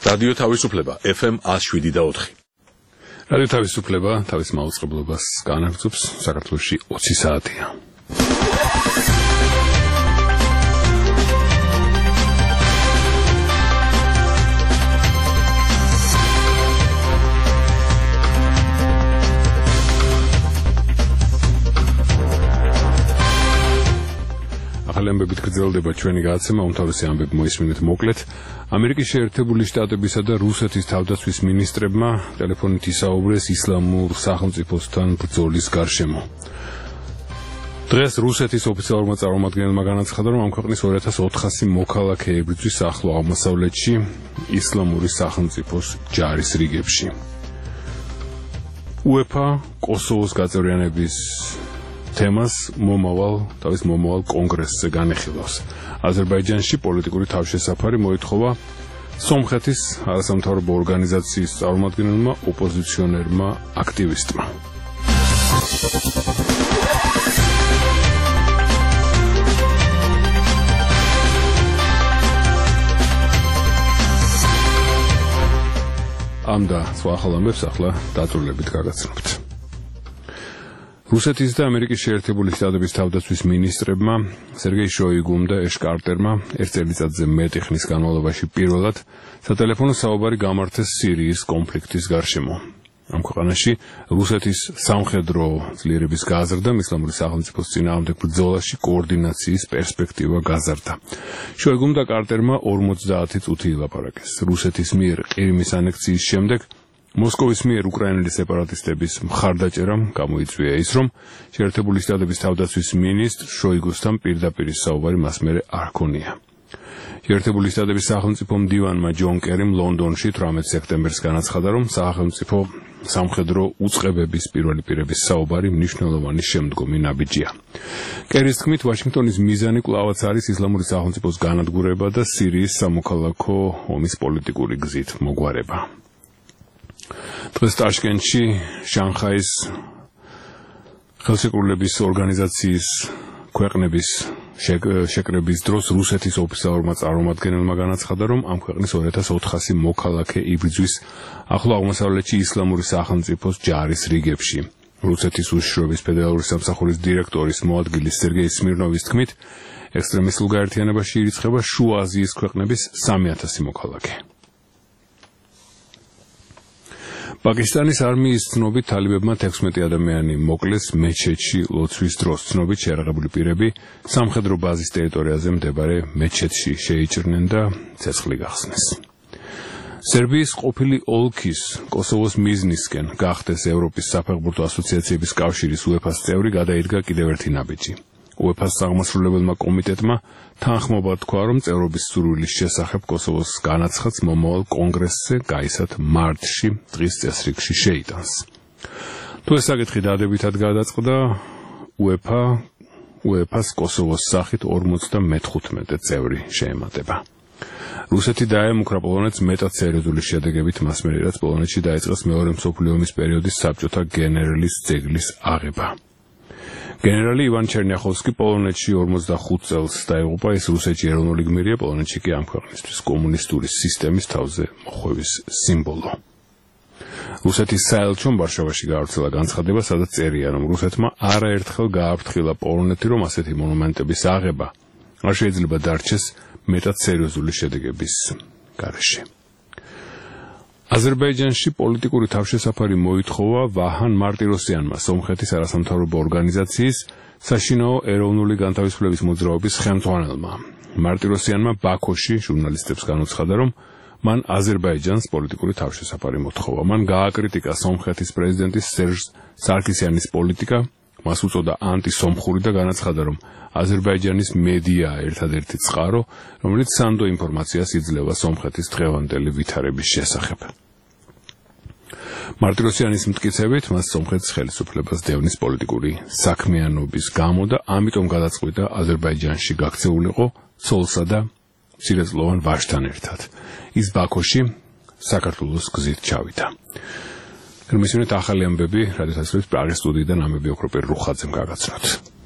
რადიო თავისუფლება FM 107.4. რადიო თავისუფლება თავის მაუწყებლობას განაგრძობს საქართველოში 20 საათია. ახალამბებით გრძელდება ჩვენი გადაცემა, უმთავრესი ამბები მოისმინეთ მოკლედ. ამერიკის შეერთებული შტატებისა და რუსეთის თავდაცვის მინისტრებმა ტელეფონით ისაუბრეს ისლამურ სახელმწიფოსთან ბრძოლის გარშემო. დღეს რუსეთის ოფიციალურმა წარმომადგენელმა განაცხადა, რომ ამ ქვეყნის 2400 მოქალაქე ებრძვის ახლო აღმოსავლეთში ისლამური სახელმწიფოს ჯარის რიგებში. UEFA კოსოვოს გაწევრიანების თემას თავის მომავალ კონგრესზე განეხილავს. აზერბაიჯანში პოლიტიკური თავშესაფარი მოითხოვა სომხეთის არასამთავრობო ორგანიზაციის წარმომადგენელმა ოპოზიციონერმა აქტივისტმა. ამ და სხვა ახალ ამბებს ახლა დაწვრილებით გაგაცნობთ. რუსეთის და ამერიკის შეერთებული შტატების თავდაცვის მინისტრებმა სერგეი შოიგუმ და ეშ კარტერმა ერთ წელიწადზე მეტი ხნის განმავლობაში პირველად სატელეფონო საუბარი გამართეს სირიის კონფლიქტის გარშემო. ამ ქვეყანაში რუსეთის სამხედრო ძლიერების გაზრდამ ისლამური სახელმწიფოს წინააღმდეგ ბრძოლაში კოორდინაციის პერსპექტივა გაზარდა. შოიგუმ და კარტერმა 50 წუთი ილაპარაკეს. რუსეთის მიერ ყირიმის ანექსიის შემდეგ მოსკოვის მიერ უკრაინელი სეპარატისტების მხარდაჭერამ გამოიწვია ის, რომ შეერთებული შტატების თავდაცვის მინისტრ შოიგუსთან პირდაპირ საუბარი მას მერე არ ჰქონია. შეერთებული შტატების სახელმწიფო მდივანმა ჯონ კერიმ ლონდონში 18 სექტემბერს განაცხადა, რომ სახელმწიფო სამხედრო უწყებების პირველი პირების საუბარი მნიშვნელოვანი შემდგომი ნაბიჯია. კერის თქმით, ვაშინგტონის მიზანი კვლავაც არის ისლამური სახელმწიფოს განადგურება და სირიის სამოქალაქო ომის პოლიტიკური გზით მოგვარება. დღეს ტაშკენტში შანხაის ხელშეკრულების ორგანიზაციის ქვეყნების შეკრების დროს რუსეთის ოფიციალურმა წარმომადგენელმა განაცხადა, რომ ამ ქვეყნის 2400 მოქალაქე იბრძვის ახლო აღმოსავლეთში ისლამური სახელმწიფოს ჯარის რიგებში. რუსეთის უშიშროების ფედერალური სამსახურის დირექტორის მოადგილის სერგეი სმირნოვის თქმით, ექსტრემისტულ გაერთიანებაში ირიცხება შუა აზიის ქვეყნების 3000 მოქალაქე. პაკისტანის არმიის ცნობით თალიბებმა 16 ადამიანი მოკლეს მეჩეთში ლოცვის დროს. ცნობით შეერაღებული პირები სამხედრო ბაზის ტერიტორიაზე მდებარე მეჩეთში შეიჭრნენ და ცეცხლი გახსნეს. სერბიის ყოფილი ოლქის კოსოვოს მიზნისკენ გახდეს ევროპის საფეხბურთო ასოციაციების კავშირის UEFA-ს წევრი გადაიდგა კიდევ ერთი ნაბიჯი. UEFA-ს აღმასრულებელმა კომიტეტმა თანხმობა თქვა, რომ წევრობის სურვილის შესახებ კოსოვოს განაცხადს მომავალ კონგრესზე გაისად მარტში დღის წესრიგში შეიტანს. თუ ეს საკითხი დადებითად გადაწყდა, UEFA-ს კოსოვოს სახით 55 წევრი შეემატება. რუსეთი დაემუქრა პოლონეთს მეტად სერიოზული შედეგებით მას მერე, რაც პოლონეთში დაიწყეს მეორე მსოფლიო ომის პერიოდის საბჭოთა გენერლის ძეგლის აღება. გენერალი ივან ჩერნიახოვსკი პოლონეთში 45 წელს დაიღუპა, ის რუსეთში ეროვნული გმირია, პოლონეთში კი ამ ქვეყნისთვის კომუნისტური სისტემის თავზე მოხვევის სიმბოლო. რუსეთის საელჩომ ვარშავაში გაავრცელა განცხადება, სადაც წერია, რომ რუსეთმა არაერთხელ გააფრთხილა პოლონეთი, რომ ასეთი მონუმენტების აღება არ შეიძლება დარჩეს მეტად სერიოზული შედეგების გარეშე. აზერბაიჯანში პოლიტიკური თავშესაფარი მოითხოვა ვაჰან მარტიროსიანმა, სომხეთის არასამთავრობო ორგანიზაციის საშინაო ეროვნული განთავისუფლების მოძრაობის ხელმძღვანელმა. მარტიროსიანმა ბაქოში ჟურნალისტებს განუცხადა, რომ მან აზერბაიჯანს პოლიტიკური თავშესაფარი მოთხოვა. მან გააკრიტიკა სომხეთის პრეზიდენტის სერჟ სარკისიანის პოლიტიკა, მას უწოდა ანტისომხური და განაცხადა, რომ აზერბაიჯანის მედია ერთადერთი წყარო, რომელიც სანდო ინფორმაციას იძლევა სომხეთის დღევანდელი ვითარების შესახებ. მარტიროსიანის მტკიცებით, მას სომხეთის ხელისუფლებას დევნის პოლიტიკური საქმიანობის გამო და ამიტომ გადაწყვიტა აზერბაიჯანში გაქცეულიყო ცოლსა და მცირეწლოვან ვაჟთან ერთად. ის ბაქოში საქართველოს გზით ჩავიდა. მისმენთ ახალი ამბები რადიო თავისუფლების პრაღის სტუდიიდან ამები ოქროპერ რუხაძემ გაგაცნოთ.